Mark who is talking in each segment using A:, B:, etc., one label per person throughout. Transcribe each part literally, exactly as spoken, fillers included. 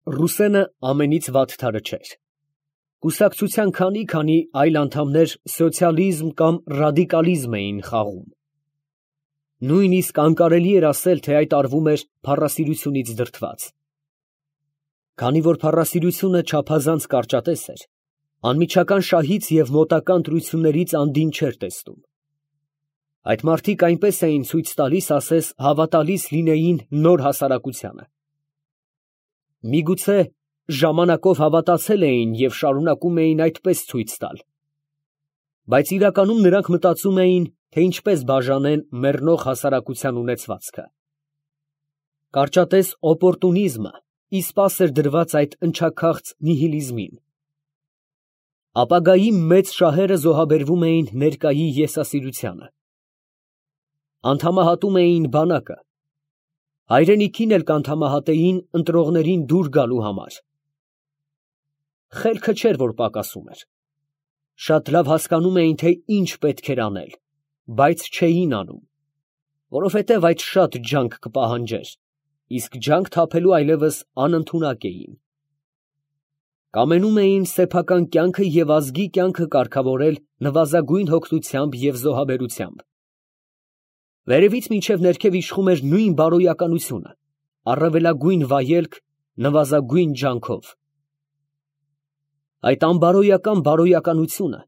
A: Ռուսենը ամենից վատթարը չէր. կուսակցության քանի֊քանի այլ անդամներ սոցիալիզմ կամ ռադիկալիզմ էին խաղում. նույնիսկ անկարելի էր ասել, թե այդ արվում էր փառասիրությունից դրդված. քանի որ փառասիրությունը չափազանց կարճատես էր, անմիջական շահից և մոտական ընտրություններից անդին չէր տեսնում. այդ մարդիկ այնպես էին ցույց տալիս, ասես հավատալիս լինեին նոր հասարակությանը. միգուցե ժամանակով հավատացել էին և շարունակում էին այդպես ցույց տալ, բայց իրականում նրանք մտածում էին, թե ինչպես բաժանեն մեռնող հասարակության ունեցվածքը. կարճատես օպորտունիզմը իսպաս էր դրված այդ ընչաքաղց նիհիլիզմին. ապագայի մեծ շահերը զոհաբերվում էին ներկայի եսասիրությանը, անդամահատում էին բանակը, հայրենիքին էլ կանդամահատեին ընտրողներին դուր գալու համար. խելքը չէր, որ պակասում էր, շատ լավ հասկանում էին, թե ինչ պետք էր անել, բայց չէին անում, որովհետև այդ շատ ջանք կպահանջեր, իսկ ջանք թափելու այլևս անընդունակ էին. կամենում էին սեփական կյանքը և ազգի կյանքը կարգավորել նվազագույն հոգնությամբ և զոհաբերությամբ. վերևից մինչև ներքև իշխում էր նույն բարոյականությունը, առավելագույն վայելք նվազագույն ջանքով. այդ անբարոյական բարոյականությունը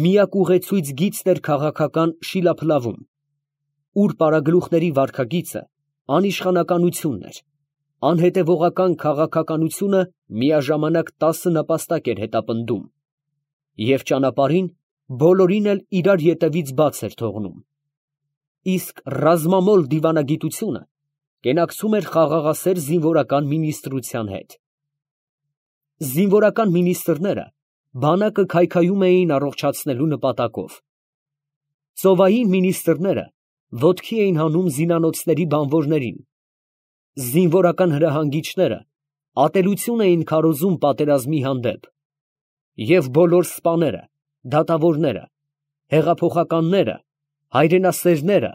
A: միակ ուղեցույց գիծն էր քաղաքական շիլափլավում, ուր պարագլուխների վարքագիծը անիշխանականությունն էր, անհետևողական քաղաքականությունը միաժամանակ տասը նապաստակ էր հետապնդում և ճանապարհին բոլորին էլ իրար ետևից բաց էր թողնում, իսկ ռազմամոլ դիվանագիտությունը կենակցում էր խաղաղասեր զինվորական մինիստրության հետ. զինվորական մինիստրները բանակը քայքայում էին առողջացնելու նպատակով, ծովային մինիստրները ոտքի էին հանում զինանոցների բանվորներին, զինվորական հրահանգիչները ատելություն էին քարոզում պատերազմի հանդեպ, և բոլոր սպաները, դատավորները, հեղափոխականները, հայրենասերները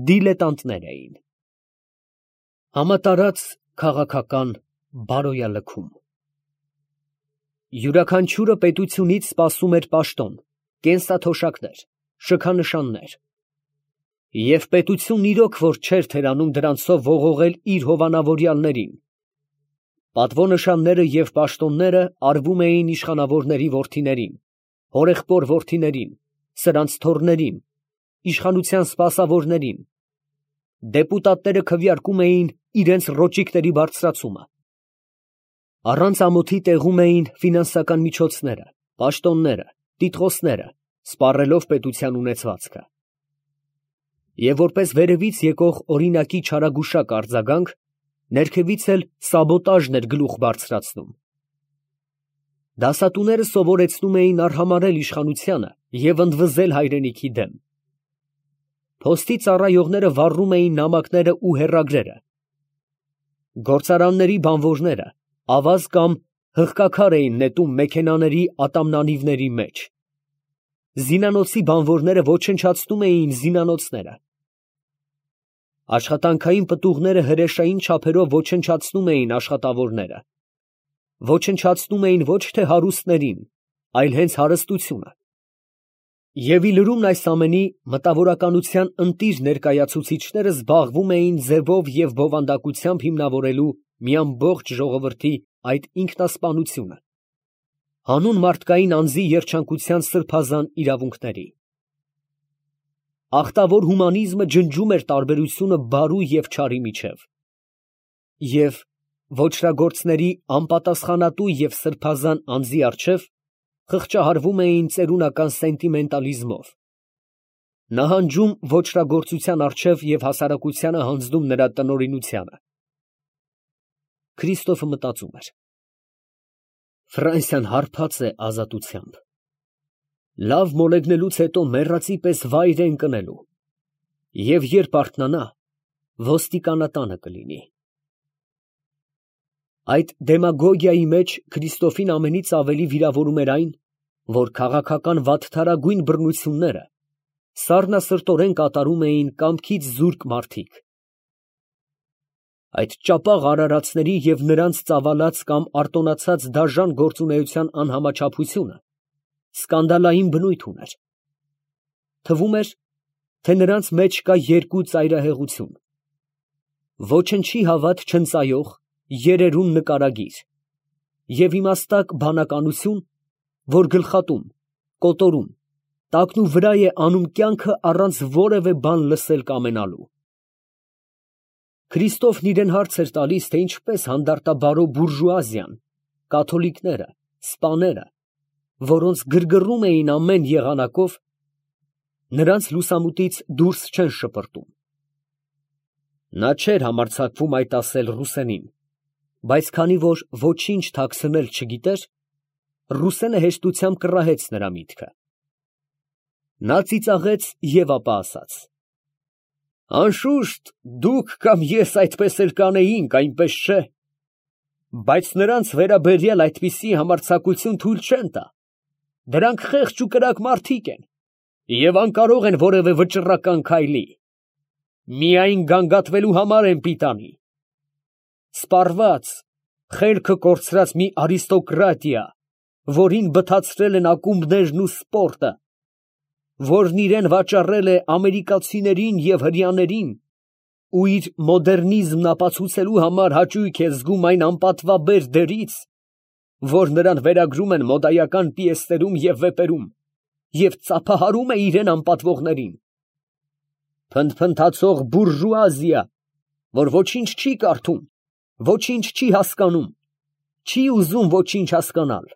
A: դիլետանտներ էին. համատարած քաղաքական բարոյալքում։ յուրաքանչյուրը պետությունից սպասում էր պաշտոն, կենսաթոշակներ, շքանշաններ, և պետությունն իրոք որ չէր թերանում դրանցով ողողել իր հովանավորյալներին. պատվոնշանները և պաշտոնները արվում էին իշխանավորների որդիներին, հորեղբոր որդիներին, սրանց թոռներին, իշխանության սպասավորներին, դեպուտատները քվեարկում էին իրենց ռոճիկների բարձրացումը, առանց ամոթի տեղում էին ֆինանսական միջոցները, պաշտոնները, տիտղոսները, սպառելով պետության ունեցվածքը, և որպես վերևից եկող օրինակի չարագուշակ արձագանք, ներքևից էլ սաբոտաժն էր գլուխ բարձրացնում. դասատուները սովորեցնում էին արհամարհել իշխանությանը և ընդվզել հայրենիքի դեմ, փոստի ծառայողները վառում էին նամակները ու հեռագրերը, գործարանների բանվորները ավազ կամ հղկաքար էին նետում մեքենաների ատամնանիվների մեջ, զինանոցի բանվորները ոչնչացնում էին զինանոցները, աշխատանքային պտուղները հրեշային չափերով ոչնչացնում էին աշխատավորները, ոչնչացնում էին ոչ թե հարուստներին, այլ հենց հարստությունը, և ի լրումն այս ամենի մտավորականության ընտիր ներկայացուցիչները զբաղվում էին ձևով և բովանդակությամբ հիմնավորելու մի ամբողջ ժողովրդի այդ ինքնասպանությունը, հանուն մարդկային անձի երջանկության սրբազան իրավունքների. ախտավոր հումանիզմը ջնջում էր տարբերությունը բարու և չարի միջև, և ոճրագործների անպատասխանատու և սրբազան անձի առջև խղճահարվում էին ծերունական սենտիմենտալիզմով, նահանջում ոճրագործության առջև և հասարակությանը հանձնում նրա տնօրինությանը։ Քրիստոֆը մտածում էր. Ֆրանսիան հարբած է ազատությամբ, լավ մոլեգնելուց հետո մեռածի պես վայր է ընկնելու, և երբ արթնանա, ոստիկանատանը կլինի։ Այդ դեմագոգիայի մեջ Քրիստոֆին ամենից ավելի վիրավորում էր այն, որ քաղաքական վատթարագույն բռնությունները սառնասրտորեն կատարում էին կամքից զուրկ մարդիկ, Այդ ճապաղ արարածների և նրանց ծավալած կամ արտոնացած դաժան գործունեության անհամաչափությունը սկանդալային բնույթ ուներ. թվում էր, թե նրանց մեջ կա երկու ծայրահեղություն. ոչնչի հավատ չընծայող, երերուն նկարագիր և իմաստակ բանականություն, որ գլխատում, կոտորում, տակնուվրա է անում կյանքը առանց որևէ բան լսել կամենալու։ Քրիստոֆն իրան հարց էր տալիս, թե ինչպես հանդարտաբարո բուրժուազիան, կաթոլիկները, սպաները, որոնց գրգռում էին ամեն եղանակով, նրանց լուսամուտից դուրս չեն շպրտում։ Նա չէր համարձակվում այդ ասել Ռուսենին, բայց քանի որ ոչինչ թաքցնել չգիտեր, Ռուսենը հեշտությամբ կռահեց նրա միտքը։ Նա ծիծաղեց և ապա ասաց. «Անշուշտ, դուք կամ ես այդպես էլ կանեինք, այնպես չէ, բայց նրանց վերաբերյալ այդպիսի համարձակություն թույլ չեն տա. դրանք խեղճ ու կրակ մարդիկ են և անկարող են որևէ վճռական քայլի, միայն գանգատվելու համար են պիտանի։ Սպառված, խելքը կորցրած մի արիստոկրատիա, որին բթացրել են ակումբներն ու սպորտը, որն իրան վաճառել է ամերիկացիներին և հրեաներին ու իր մոդեռնիզմն ապացուցելու համար հաճույք է զգում այն անպատվաբեր դերից, որ նրան վերագրում են մոդայական պիեսներում և վեպերում, և ծափահարում է իրան անպատվողներին։ Փնթփնթացող բուրժուազիա, որ ոչինչ չի կարդում, ոչինչ չի հասկանում, չի ուզում ոչինչ հասկանալ,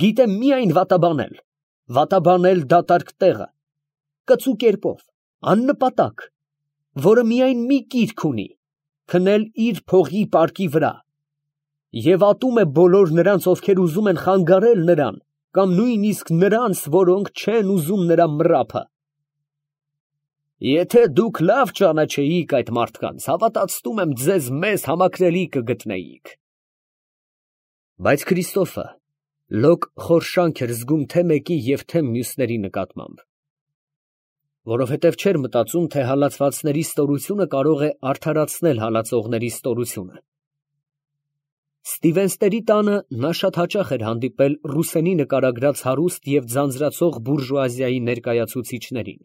A: գիտե միայն վատաբանել, վատաբանել դատարկ տեղը, կծու կերպով, աննպատակ, որը միայն մի կիրք ունի՝ քնել իր փողի պարկի վրա, և ատում է բոլոր նրանց, ովքեր ուզում են խանգարել նրան, կամ նույնիսկ նրանց, որոնք չեն ուզում նրա մռափը։ Եթե դուք լավ ճանաչեիք այդ մարդկանց, հավատացնում եմ, ձեզ մեզ համակրելի կգտնեիք։ Բայց Քրիստոֆը լոկ խորշանք էր զգում թե մեկի և թե մյուսների նկատմամբ, որովհետև չէր մտածում, թե հալածվածների ստորությունը կարող է արդարացնել հալածողների ստորությունը։ Ստիվենսների տանը նա շատ հաճախ էր հանդիպել Ռուսենի նկարագրած հարուստ և ձանձրացող բուրժուազիայի ներկայացուցիչներին։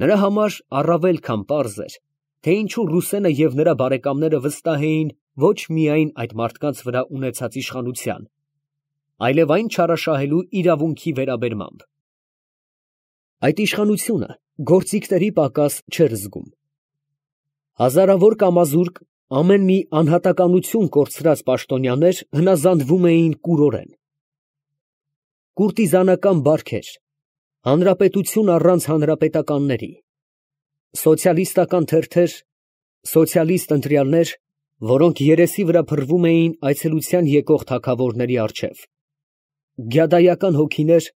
A: Նրա համար առավել քան պարզ էր, թե ինչու Ռուսենը և նրա բարեկամները վստահ էին ոչ միայն այդ մարդկանց վրա ունեցած իշխանության, այլև այն չարաշահելու իրավունքի վերաբերմամբ։ Այդ իշխանությունը գործիքների պակաս չէր զգում։ Հազարավոր կամազուրկ, ամեն մի անհատականություն կորցրած պաշտոնյաներ հնազանդվում էին կուրորեն։ Կուրտիզանական բարքեր, հանրապետություն առանց հանրապետականների, սոցիալիստական թերթեր, սոցիալիստ ընտրյալներ, որոնք երեսի վրա փռվում էին այցելության եկող թագավորների առջև, գյադայական հոգիներ,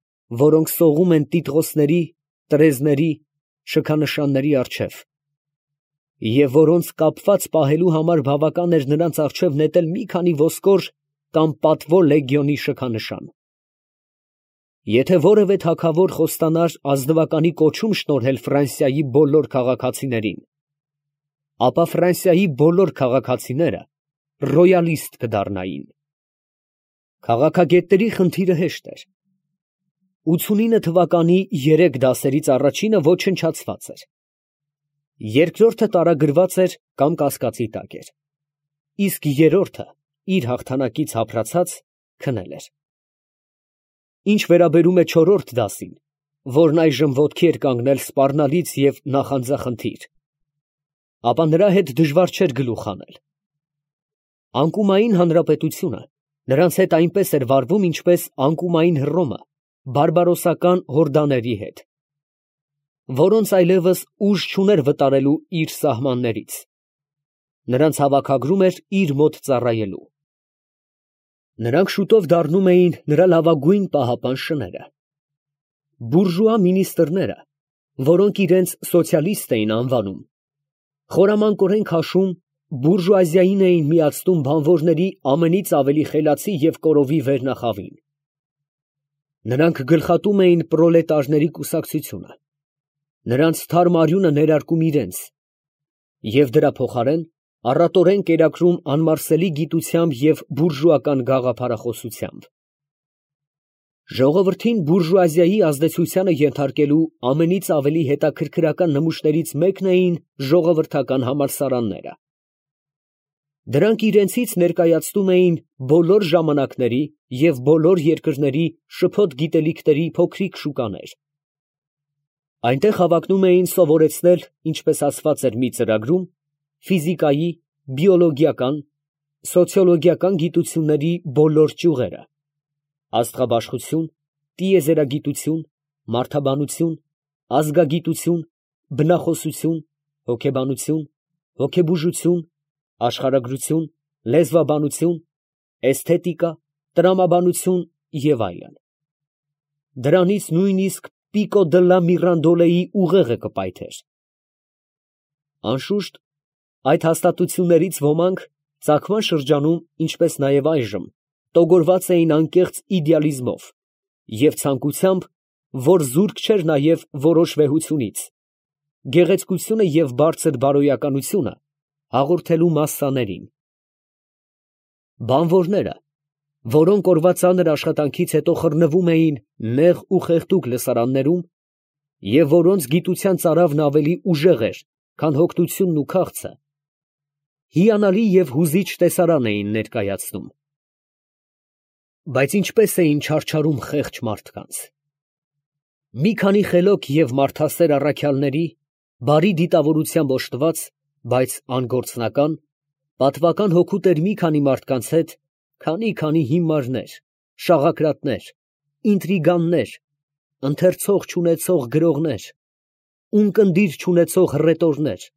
A: որոնք սողում են տիտղոսների, տրեզների, շքանշանների առջև, և որոնց կապված պահելու համար բավական էր նրանց առջև նետել մի քանի ոսկոր կամ պատվո լեգիոնի շքանշան։ Եթե որևէ թագավոր խոստանար ազնվականի կոչում շնորհել Ֆրանսիայի բոլոր քաղաքացիներին, ապա Ֆրանսիայի բոլոր քաղաքացիները ռոյալիստ կդառնային։ Քաղաքագետների խնդիրը հեշտ էր։ ութունինը թվականի երեք դասերից առաջինը ոչնչացված էր, երկրորդը տարագրված էր կամ կասկածի տակ էր, իսկ երրորդը իր հաղթանակից հափրացած քնել էր։ Ինչ վերաբերում է չորրորդ դասին, որն այժմ ոտքի էր կանգնել սպառնալից և նախանձախնդիր, ապա նրա հետ դժվար չէր գլուխ հանել։ Անկումային հանրապետությունը նրանց հետ այնպես էր վարվում, ինչպես անկումային Հռոմը բարբարոսական հորդաների հետ, որոնց այլևս ուժ չուներ վտարելու իր սահմաններից, նրանց հավաքագրում էր իր մոտ ծառայելու։ Նրանք շուտով դառնում էին նրա լավագույն պահապան շները։ Բուրժուա մինիստրները, որոնք իրենց սոցիալիստ էին անվանում, խորամանկորեն քաշում, բուրժուազիային էին միացնում բանվորների ամենից ավելի խելացի և կորովի վերնախավին։ Նրանք գլխատում էին պրոլետարների կուսակցությունը, նրանց թարմ արյունը ներարկում իրենց, և դրա փոխարեն առատորեն կերակրում անմարսելի գիտությամբ և բուրժուական գաղափարախոսությամբ։ Ժողովրդին բուրժուազիայի ազդեցությանը ենթարկելու ամենից ավելի հետաքրքրական նմուշներից մեկն էին ժողովրդական համալսարանները։ Դրանք իրենցից ներկայացնում էին բոլոր ժամանակների և բոլոր երկրների շփոթ գիտելիքների փոքրիկ շուկաներ։ Այնտեղ հավակնում էին սովորեցնել, ինչպես ասված էր մի ծրագրում, ֆիզիկայի, բիոլոգիական, սոցիոլոգիական գիտությունների բոլոր ճյուղերը, աստղաբաշխություն, տիեզերագիտություն, մարդաբանություն, ազգագիտություն, բնախոսություն, հոգեբանություն, հոգեբուժություն, աշխարհագրություն, լեզվաբանություն, էսթետիկա, տրամաբանություն և այլն։ Դրանից նույնիսկ Պիկո դլլա Միրանդոլեի ուղեղը կպայթեր։ Անշուշտ, այդ հաստատություններից ոմանք ծագման շրջանում, ինչպես նաև այժմ, տոգորված էին անկեղծ իդեալիզմով և ցանկությամբ, որ զուրկ չէր նաև որոշ վեհությունից, գեղեցկությունը և բարձր բարոյականությունը հաղորդելու մասսաներին։ Բանվորները, որոնք օրվա ծանր աշխատանքից հետո խռնվում էին նեղ ու խեղդուկ լսարաններում, և որոնց գիտության ծարավն ավելի ուժեղ էր, քան հոգնությունն ու քաղցը, հիանալի և հուզիչ տեսարան էին ներկայացնում։ Բայց ինչպե՞ս էին չարչարում խեղճ մարդկանց։ Մի քանի խելոք և մարդասեր առաքյալների, բարի դիտավորությամբ օժտված, բայց անգործնական, պատվական հոգուտ էր մի քանի մարդկանց հետ, քանի֊քանի հիմարներ, շաղակրատներ, ինտրիգաններ, ընթերցող չունեցող գրողներ, ունկնդիր չունեցող հռետորներ,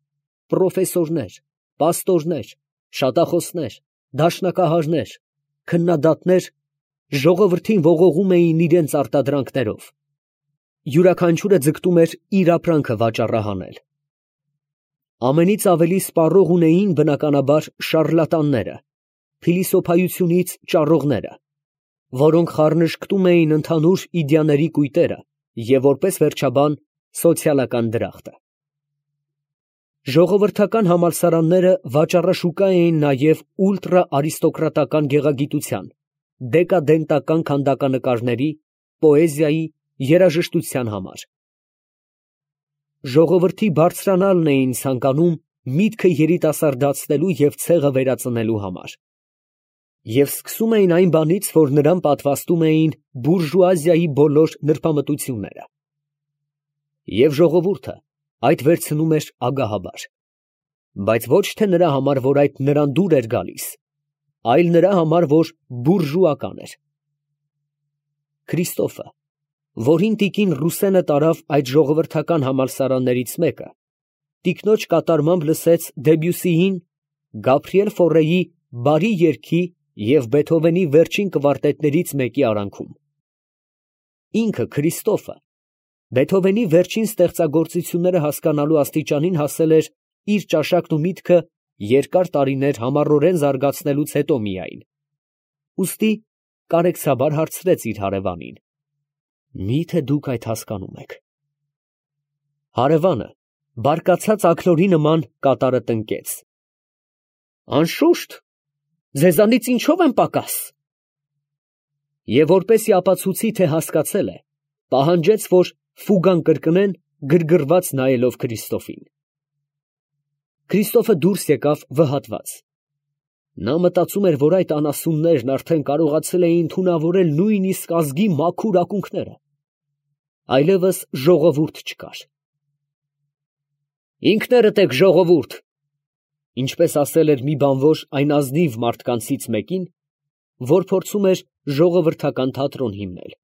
A: պրոֆեսորներ, պաստորներ, շատախոսներ, դաշնակահարներ, քննադատներ ժողովրդին ողողում էին իրենց արտադրանքներով, յուրաքանչյուրը ձգտում էր իր ապրանքը վաճառահանել։ Ամենից ավելի սպառող ունեին բնականաբար շառլատանները, փիլիսոփայությունից ճառողները, որոնք խառնշկտում էին ընդհանուր իդեաների կույտերը և որպես վերջաբան սոցիալական դրախտը։ Ժողովրդական համալսարանները վաճառաշուկա էին նաև ուլտրաարիստոկրատական գեղագիտության, դեկադենտական քանդականկարների, պոեզիայի, երաժշտության համար։ Ժողովրդի բարձրանալն էին ցանկանում միտքը երիտասարդացնելու և ցեղը վերածնելու համար։ Եվ սկսում էին այն բանից, որ նրան պատվաստում էին բուրժուազիայի բոլոր նրբամտությունները։ Եվ ժողովուրդը այդ վերցնում էր ագահաբար, բայց ոչ թե նրա համար, որ այդ նրան դուր էր գալիս, այլ նրա համար, որ բուրժուական էր։ Քրիստոֆը, որին տիկին Ռուսենը տարավ այդ ժողովրդական համալսարաններից մեկը, տիկնոջ կատարմամբ լսեց Դեբյուսիին Գաբրիել Ֆորեի «Բարի երգի» և Բեթհովենի վերջին կվարտետներից մեկի արանքում։ Ինքը Քրիստոֆը Բեթհովենի վերջին ստեղծագործությունները հասկանալու աստիճանին հասել էր իր ճաշակն ու միտքը երկար տարիներ համառորեն զարգացնելուց հետո միայն, ուստի կարեկցաբար հարցրեց իր հարևանին. «Մի՞թե դուք այդ հասկանում եք»։ Հարևանը բարկացած աքլորի նման կատարը տնկեց. «Անշուշտ, ձեզանից ինչո՞վ եմ պակաս»։ Եվ որպեսզի ապացուցի, թե հասկացել է, պահանջեց, որ ֆուգան կրկնեն, գրգռված նայելով Քրիստոֆին։ Քրիստոֆը դուրս եկավ վհատված։ Նա մտածում էր, որ այդ անասուններն արդեն կարողացել էին թունավորել նույնիսկ ազգի մաքուր ակունքները։ Այլևս ժողովուրդ չկար։ «Ինքներդ եք ժողովուրդ», ինչպես ասել էր մի բանվոր այն ազնիվ մարդկանցից մեկին, որ փորձում էր ժողովրդական թատրոն հիմնել։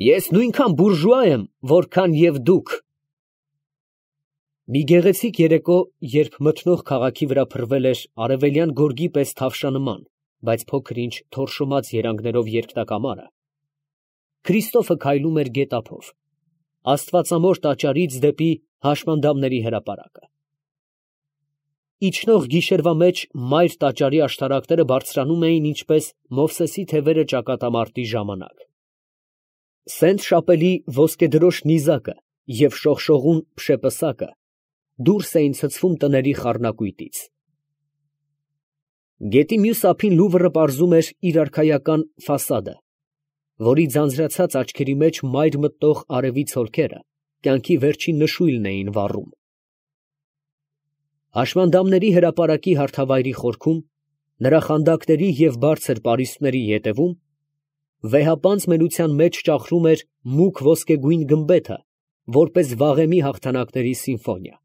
A: «Ես նույնքան բուրժուա եմ, որքան և դուք»։ Մի գեղեցիկ երեկո, երբ մթնող քաղաքի վրա փռվել էր արևելյան գորգի պես թավշանման, բայց փոքր-ինչ թորշոմած երանգներով երկնակամարը, Քրիստոֆը քայլում էր գետափով, աստվածամոր տաճարից դեպի հաշմանդամների հրապարակը։ Իջնող գիշերվա մեջ մայր տաճարի աշտարակները բարձրանում էին ինչպես Մովսեսի թևերը ճակատամարտի ժամանակ։ Սենտ Շապելի ոսկեդրոշ նիզակը և շողշողուն փշեպսակը դուրս էին ցցվում տների խառնակույտից։ Գետի մյուս ափին Լուվրը պարզում էր իր արքայական ֆասադը, որի ձանձրացած աչքերի մեջ մայր մտնող արևի ցոլքերը կյանքի վերջին նշույլն էին վառում։ Հաշմանդամների հրապարակի հարթավայրի խորքում, նրա խանդակների և բարձր պարիսպների ետևում, վեհապանծ մենության մեջ ճախրում էր մուգ ոսկեգույն գմբեթը, որպես վաղեմի հաղթանակների սիմֆոնիա։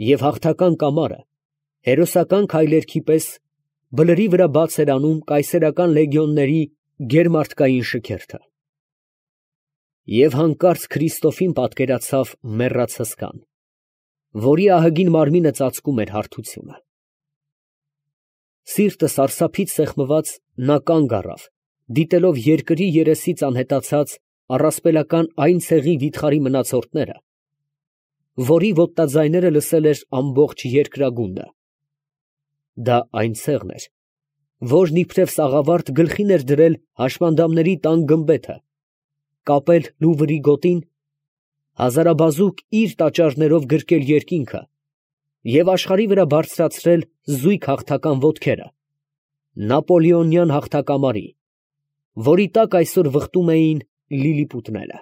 A: Եվ հաղթական կամարը, հերոսական քայլերքի պես, բլրի վրա բաց էր անում կայսերական լեգիոնների գերմարտկային շքերթը։ Եվ հանկարծ Քրիստոֆին պատկերացավ մեռած հսկան, որի ահագին մարմինը ծածկում էր հարթությունը։ Սիրտը սարսափից սեղմված, նա կանգ առավ, դիտելով երկրի երեսից անհետացած առասպելական այն ցեղի վիթխարի մնացորդները, որի ոտնաձայները լսել էր ամբողջ երկրագունդը։ Դա այն ցեղն էր, որն իբրև սաղավարտ գլխին էր դրել հաշմանդամների տան գմբեթը, կապել Լուվրի գոտին, հազարաբազուկ իր տաճարներով գրկել երկինքը և աշխարհի վրա բարձրացրել զույգ հաղթական ոտքերը, նապոլեոնյան հաղթակամարի, որի տակ այսօր վխտում էին լիլիպուտները։